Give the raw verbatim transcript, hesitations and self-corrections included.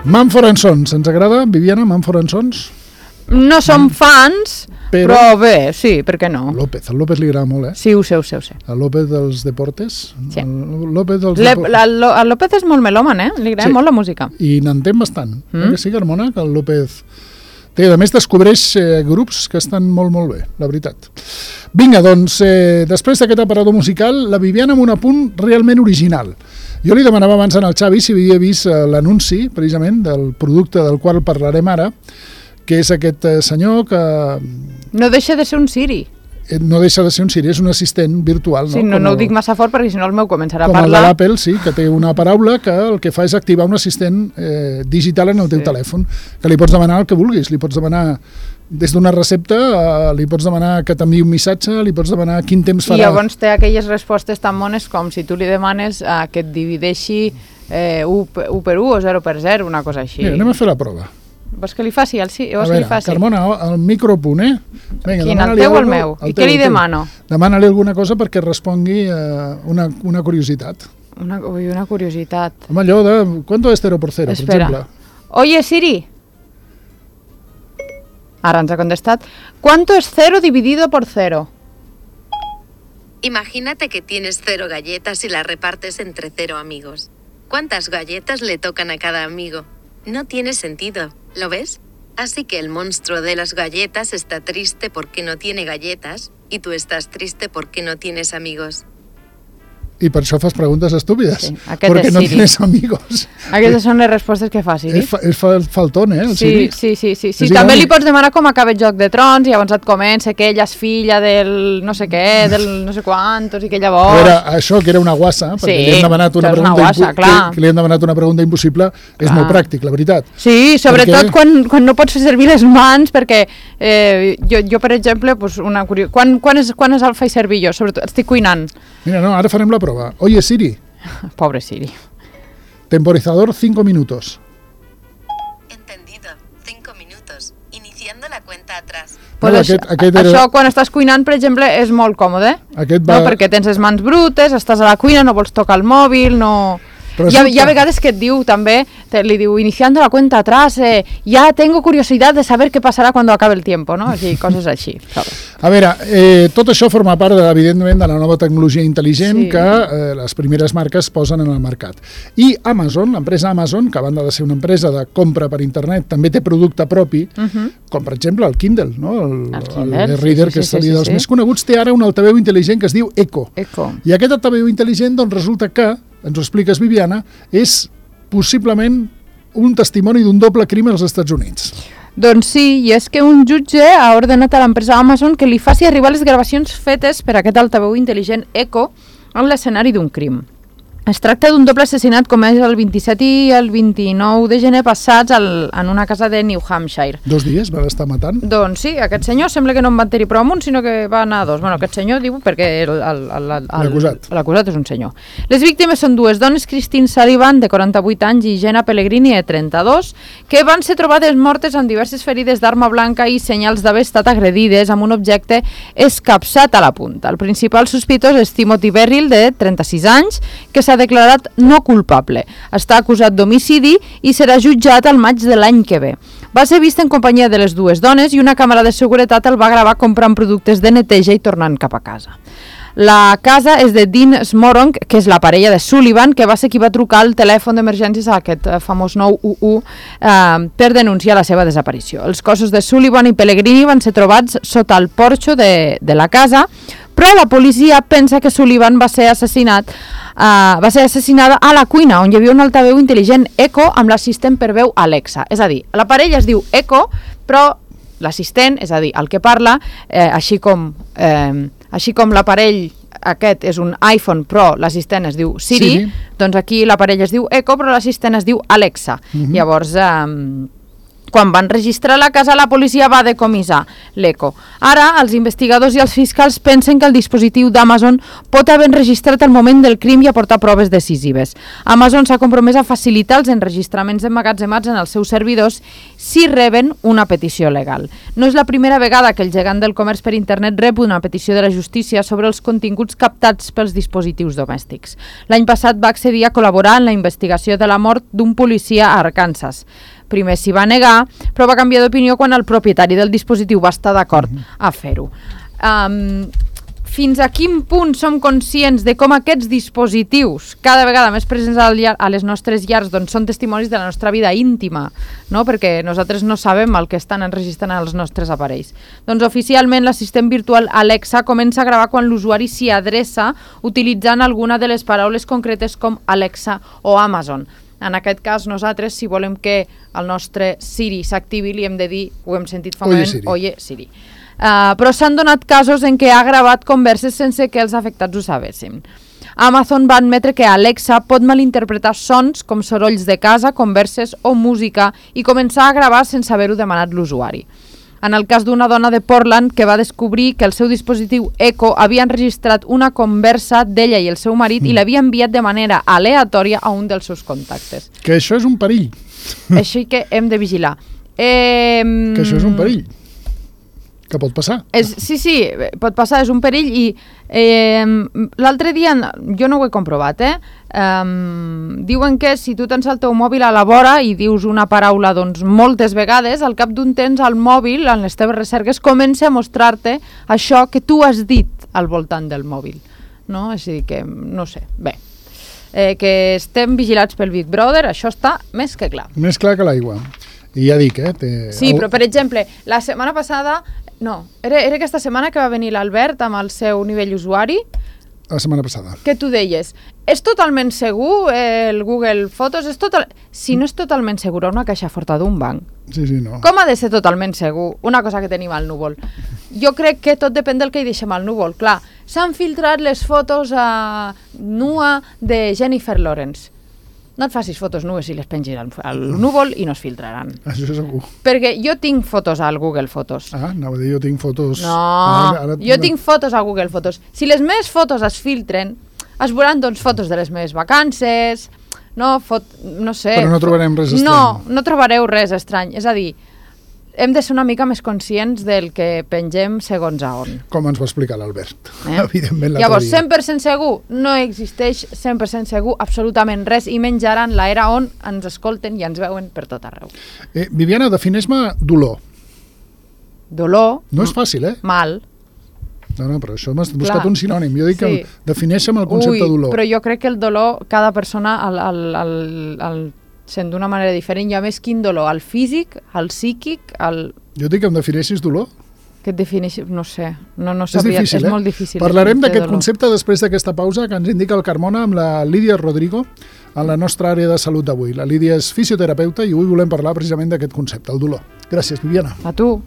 Mumford and Sons, ens agrada, Viviana, Mumford and Sons? No som fans, però... però bé, sí, per què no? López, al López li agrada molt, eh? Sí, ho sé, ho sé, ho sé. El López dels deportes. Sí. El López dels Le, deportes. la, lo, el López és molt melòman, eh? Li agrada sí. molt la música. I n'entén bastant. Mm. Eh que sí, Carmona, que el López... Té, a més, descobreix eh, grups que estan molt, molt bé, la veritat. Vinga, doncs, eh, després d'aquest aparador musical, la Viviana amb un apunt realment original. Jo li demanava abans al Xavi si havia vist eh, l'anunci, precisament, del producte del qual parlarem ara, que és aquest eh, senyor que... No deixa de ser un Siri. Eh, no deixa de ser un Siri, és un assistent virtual. Sí, no, no, no ho dic massa fort perquè si no el meu començarà a com parlar. Com el de l'Apple, sí, que té una paraula que el que fa és activar un assistent eh, digital en el teu sí. telèfon, que li pots demanar el que vulguis, li pots demanar des d'una recepta, eh, li pots demanar que t'enviï un missatge, li pots demanar quin temps farà. I llavors té aquelles respostes tan bones com si tu li demanes eh, que et divideixi eh, u per u o zero per zero, una cosa així. Mira, anem a fer la prova. Vols que li faci? El sí? A veure, li faci? Carmona, el micropunt, eh? Vinga, quin, el teu o el meu? I què li demano? Demana-li alguna cosa perquè respongui eh, una, una curiositat. Una, ui, una curiositat. Home, allò de... ¿Cuánto es cero por cero, Espera. per exemple? Oye, Siri. Ara ens ha contestat. ¿Cuánto es cero dividido por cero? Imagínate que tienes cero galletas y las repartes entre cero amigos. ¿Cuántas galletas le tocan a cada amigo? No tiene sentido, ¿lo ves? Así que el monstruo de las galletas está triste porque no tiene galletas, y tú estás triste porque no tienes amigos. I per això fas preguntes estúpides. Sí, aquest perquè és no Siri. tienes amigos. Aquestes són les respostes que fa Siri. És, fa, és fa, faltón, eh, el sí, Siri. sí, sí, sí, sí. És També igual. li pots demanar com acaba el Joc de Trons i llavors et comença que ella és filla del no sé què, del no sé quantos i que llavors... Era això, que era una guassa, perquè Sí, li hem demanat una això és pregunta, una guassa, impo- clar. que, que li hem demanat una pregunta impossible, és Clar. molt pràctic, la veritat. Sí, sobretot Perquè- quan, quan no pots fer servir les mans, perquè eh, jo, jo, per exemple, pues una curio... quan, quan, és, quan és el faig servir jo? Sobretot, estic cuinant. Mira, no, ara farem la prova. Oye, Siri, Pobre Siri. temporizador cinco minutos. Entendido. Cinco minutos. Iniciando la cuenta atrás. Pues No, això, aquest- aquest era- això, quan estàs cuinant, per exemple, és molt còmode. Aquest No, va... perquè tens les mans brutes, estàs a la cuina, no vols tocar el mòbil, no... Però Hi ha, resulta- hi ha vegades que et diu també, te, li diu, iniciando la cuenta atrás, eh, ya tengo curiosidad de saber qué pasará cuando acabe el tiempo, no? Així, coses així. Saps? A veure, eh, tot això forma part, de, evidentment, de la nova tecnologia intel·ligent Sí. que eh, les primeres marques posen en el mercat. I Amazon, l'empresa Amazon, que a banda de ser una empresa de compra per internet, també té producte propi, uh -huh. com per exemple el Kindle, no? el, El Kindle, el sí, e-reader, sí, que sí, és sí, sí, dels sí. més coneguts, té ara un altaveu intel·ligent que es diu Echo. Eco. I aquest altaveu intel·ligent, doncs, resulta que, ens ho expliques, Viviana, és possiblement un testimoni d'un doble crim als Estats Units. Doncs sí, i és que un jutge ha ordenat a l'empresa Amazon que li faci arribar les gravacions fetes per aquest altaveu intel·ligent Echo en l'escenari d'un crim. Es tracta d'un doble assassinat comès el vint-i-set i el vint-i-nou de gener passats al, en una casa de New Hampshire. Dos dies va estar matant. Doncs sí, aquest senyor sembla que no en van tenir prou amb un, sinó que va anar a dos. Bueno, aquest senyor diu perquè el- el- el- el- L'acusat. l'acusat és un senyor. Les víctimes són dues dones, Christine Sullivan, de quaranta-vuit anys, i Jenna Pellegrini, de trenta-dos, que van ser trobades mortes amb diverses ferides d'arma blanca i senyals d'haver estat agredides amb un objecte escapçat a la punta. El principal sospitós és Timothy Berrill, de trenta-sis anys, que s'ha declarat no culpable. Està acusat d'homicidi i serà jutjat al maig de l'any que ve. Va ser vist en companyia de les dues dones i una càmera de seguretat el va gravar comprant productes de neteja i tornant cap a casa. La casa és de Dean Smorong, que és la parella de Sullivan, que va ser qui va trucar al telèfon d'emergències a aquest eh, famós nou u u eh, per denunciar la seva desaparició. Els cossos de Sullivan i Pellegrini van ser trobats sota el porxo de, de la casa, però la policia pensa que Sullivan va ser assassinat Uh, va ser assassinada a la cuina, on hi havia un altaveu intel·ligent Echo amb l'assistent per veu Alexa. És a dir, la parella es diu Echo, però l'assistent, és a dir, el que parla, eh, així com eh, així com l'aparell aquest és un iPhone, però l'assistent es diu Siri, Siri, doncs aquí la parella es diu Echo, però l'assistent es diu Alexa. Mhm. Llavors, eh, Quan van registrar la casa, la policia va decomissar l'Echo. Ara, els investigadors i els fiscals pensen que el dispositiu d'Amazon pot haver enregistrat el moment del crim i aportar proves decisives. Amazon s'ha compromès a facilitar els enregistraments emmagatzemats en els seus servidors si reben una petició legal. No és la primera vegada que el gegant del comerç per internet rep una petició de la justícia sobre els continguts captats pels dispositius domèstics. L'any passat va accedir a col·laborar en la investigació de la mort d'un policia a Arkansas. Primer s'hi va negar, però va canviar d'opinió quan el propietari del dispositiu va estar d'acord a fer-ho. Um, fins a quin punt som conscients de com aquests dispositius, cada vegada més presents a les nostres llars, doncs són testimonis de la nostra vida íntima, no? Perquè nosaltres no sabem el que estan enregistrant als nostres aparells. Doncs oficialment l'assistent virtual Alexa comença a gravar quan l'usuari s'hi adreça utilitzant alguna de les paraules concretes com Alexa o Amazon. En aquest cas, nosaltres, si volem que el nostre Siri s'activi, li hem de dir, ho hem sentit fa un moment, Siri. oye Siri. Uh, però s'han donat casos en què ha gravat converses sense que els afectats ho sabessin. Amazon va admetre que Alexa pot malinterpretar sons com sorolls de casa, converses o música i començar a gravar sense haver-ho demanat l'usuari. En el cas d'una dona de Portland que va descobrir que el seu dispositiu Echo havia enregistrat una conversa d'ella i el seu marit mm. i l'havia enviat de manera aleatòria a un dels seus contactes. Que això és un perill. Així que hem de vigilar. Eh, que això és un perill. Que pot passar. És, sí, sí, pot passar, és un perill i eh, l'altre dia, jo no ho he comprovat, eh? Um, diuen que si tu tens el teu mòbil a la vora i dius una paraula doncs moltes vegades, al cap d'un temps el mòbil, en les teves recerques, comença a mostrar-te això que tu has dit al voltant del mòbil, no? És a dir que, no sé, bé, eh, que estem vigilats pel Big Brother, això està més que clar. Més clar que l'aigua. I ja dic, eh? Té... Sí, però per exemple, la setmana passada, no, era, era aquesta setmana que va venir l'Albert amb el seu nivell usuari. La setmana passada. Que tu deies, és totalment segur el Google Fotos? És total... Si no és totalment segur una caixa forta d'un banc, sí, sí, no. Com ha de ser totalment segur una cosa que tenim al núvol? Jo crec que tot depèn del que hi deixem al núvol. Clar, s'han filtrat les fotos a nua de Jennifer Lawrence. No et facis fotos nues i les pengis al, al núvol i no es filtraran. Això segur. Perquè jo tinc fotos al Google Fotos. Ah, anava a dir, jo tinc fotos... No, ara, ara... jo tinc fotos a Google Fotos. Si les meves fotos es filtren, es veuran doncs fotos de les meves vacances, no, fot... no sé... Però no trobarem res estrany. No, no trobareu res estrany. És a dir, hem de ser una mica més conscients del que pengem segons a on. Com ens va explicar l'Albert, eh? Evidentment l'altre Llavors, dia. cent per cent segur, no existeix cent per cent segur absolutament res i menys ara en l'era on ens escolten i ens veuen per tot arreu. Eh, Viviana, defineix-me dolor. Dolor. No és fàcil, eh? Mal. No, no, però això m'has buscat Clar. un sinònim. Jo dic Sí. que defineixa'm el concepte Ui, de dolor. però jo crec que el dolor, cada persona el, el, el, el sent d'una manera diferent. Hi ha més quin dolor, el físic, el psíquic, el... Jo dic que em defineixis dolor. Que et defineixi... No sé, no, no És sabria, difícil, és eh? molt difícil. Parlarem de d'aquest dolor. concepte després d'aquesta pausa que ens indica el Carmona amb la Lídia Rodrigo en la nostra àrea de salut d'avui. La Lídia és fisioterapeuta i avui volem parlar precisament d'aquest concepte, el dolor. Gràcies, Viviana. A tu.